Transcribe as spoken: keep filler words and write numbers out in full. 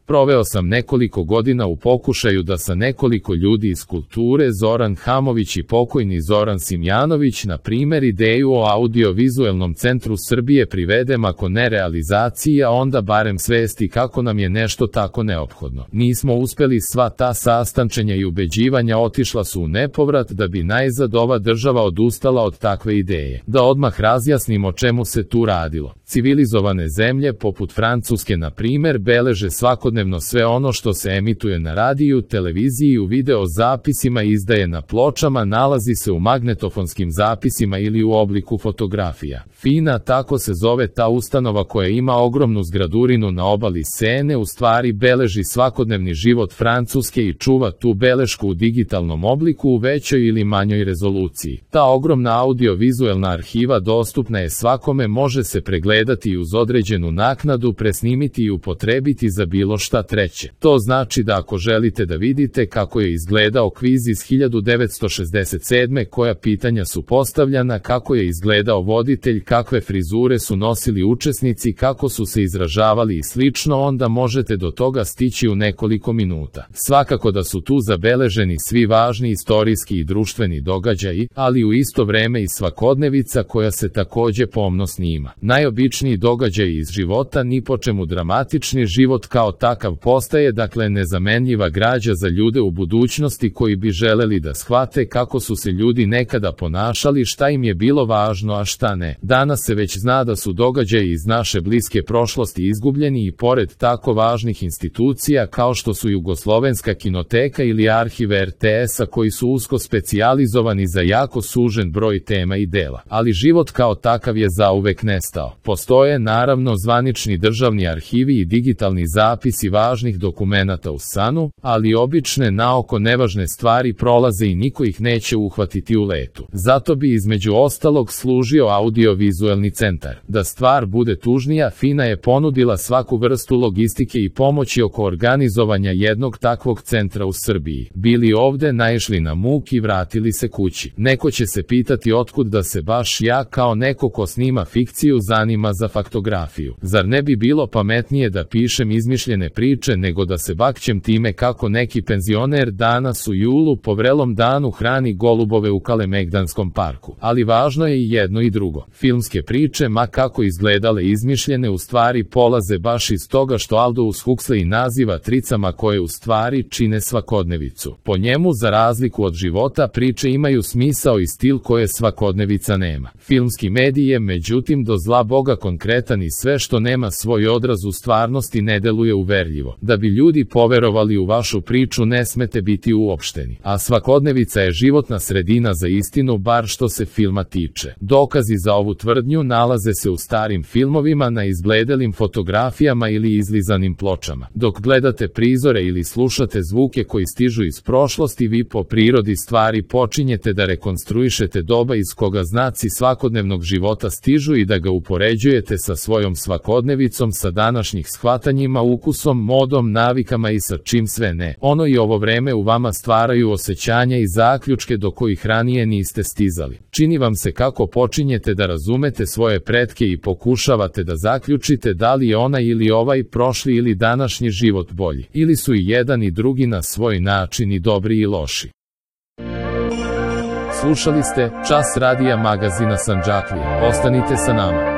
Proveo sam nekoliko godina u pokušaju da sa nekoliko ljudi iz kulture, Zoran Hamović i pokojni Zoran Simjanović, na primjer, ideju o audiovizuelnom centru Srbije privedem, ako ne realizaciji, a onda barem svesti kako nam je nešto tako neophodno. Nismo uspeli, sva ta sastančenja i ubeđivanja otišla su u nepovrat, da bi najzad ova država odustala od takve ideje. Da odmah razjasnim o čemu se tu radilo. Civilizovane zemlje, poput Francuske na primjer, beleže svakodnevno sve ono što se emituje na radiju, televiziji i u video zapisima i izdaje na pločama, nalazi se u magnetofonskim zapisima ili u obliku fotografija. FINA, tako se zove ta ustanova koja ima ogromnu zgradurinu na obali Sene, u stvari beleži svakodnevni život Francuske i čuva tu belešku u digitalnom obliku u većoj ili manjoj rezoluciji. Ta ogromna audiovizuelna arhiva dostupna je svakome, može se pregledati i uz određenu naknadu presnimiti i upotrebiti za bilo šta treće. To znači da ako želite da vidite kako je izgledao kviz iz hiljadu devetsto šezdeset sedme, koja pitanja su postavljana, kako je izgledao voditelj, kakve frizure su nosili učesnici, kako su se izražavali i slično, onda možete do toga stići u nekoliko minuta. Svakako da su tu zabeleženi svi važni istorijski i društveni događaji, ali u isto vreme i svakodnevica koja se takođe pomno snima. Najobičniji događaji iz života, ni po čemu dramatični, život kao takav postaje dakle nezamenljiva građa za ljude u budućnosti koji bi želeli da shvate kako su se ljudi nekada ponašali, šta im je bilo važno, a šta ne. Danas se već zna da su događaji iz naše bliske prošlosti izgubljeni i pored tako važnih institucija kao što su Jugoslovenska kinoteka ili arhiv er te esa, koji su usko specijalizovani za jako sužen broj tema i dela. Ali život kao takav je zauvek nestao. Postoje naravno zvanični državni arhivi i digitalni zapisi važnih dokumenata u sanu, ali obične naoko nevažne stvari prolaze i niko ih neće uhvatiti u letu. Zato bi između ostalog služio audiovizuelni centar. Da stvar bude tužnija, FINA je ponudila svaku vrstu logistike i pomoći oko organizovanja jednog takvog centra u Srbiji. Bili ovde, naišli na muk i vratili se kući. Neko će se pitati otkud da se baš ja, kao neko ko snima fikciju, zanima za faktografiju. Zar ne bi bilo pametnije da pišem izmišljene priče nego da se bakćem time kako neki penzioner danas u julu po vrelom danu hrani golubove u Kalemegdanskom parku? Ali važno je i jedno i drugo. Filmske priče, ma kako izgledale izmišljene, u stvari polaze baš iz toga što Aldous Huxley naziva tricama koje u stvari čine svakodnevicu. Po njemu, za razliku od života, priče imaju smisao i stil koje svakodnevica nema. Filmski medij je međutim do zla boga konkretan i sve što nema svoj odraz u stvarnosti ne deluje uverljivo. Da bi ljudi poverovali u vašu priču ne smete biti uopšteni. A svakodnevica je životna sredina za istinu, bar što se filma tiče. Dokazi za ovu tvrdnju nalaze se u starim filmovima, na izbledelim fotografijama ili izlizanim pločama. Dok gledate prizore ili slušate zvuke koji stižu iz prošlosti, vi po prirodi stvari počinjete da rekonstruišete doba iz koga znaci svakodnevnog života stižu i da ga upoređujete sa svojom svakodnevicom, sa današnjih shvatanjima, ukusom, modom, navikama i sa čim sve ne. Ono i ovo vreme u vama stvaraju osjećanja i zaključke do kojih ranije niste stizali. Čini vam se kako počinjete da razumete svoje pretke i pokušavate da zaključite da li je ona ili ovaj prošli ili današnji život bolji. Ili su i jedan i drugi na svoj način i dobri i loši. Slušali ste Čas radija magazina Sandžaklija. Ostanite sa nama.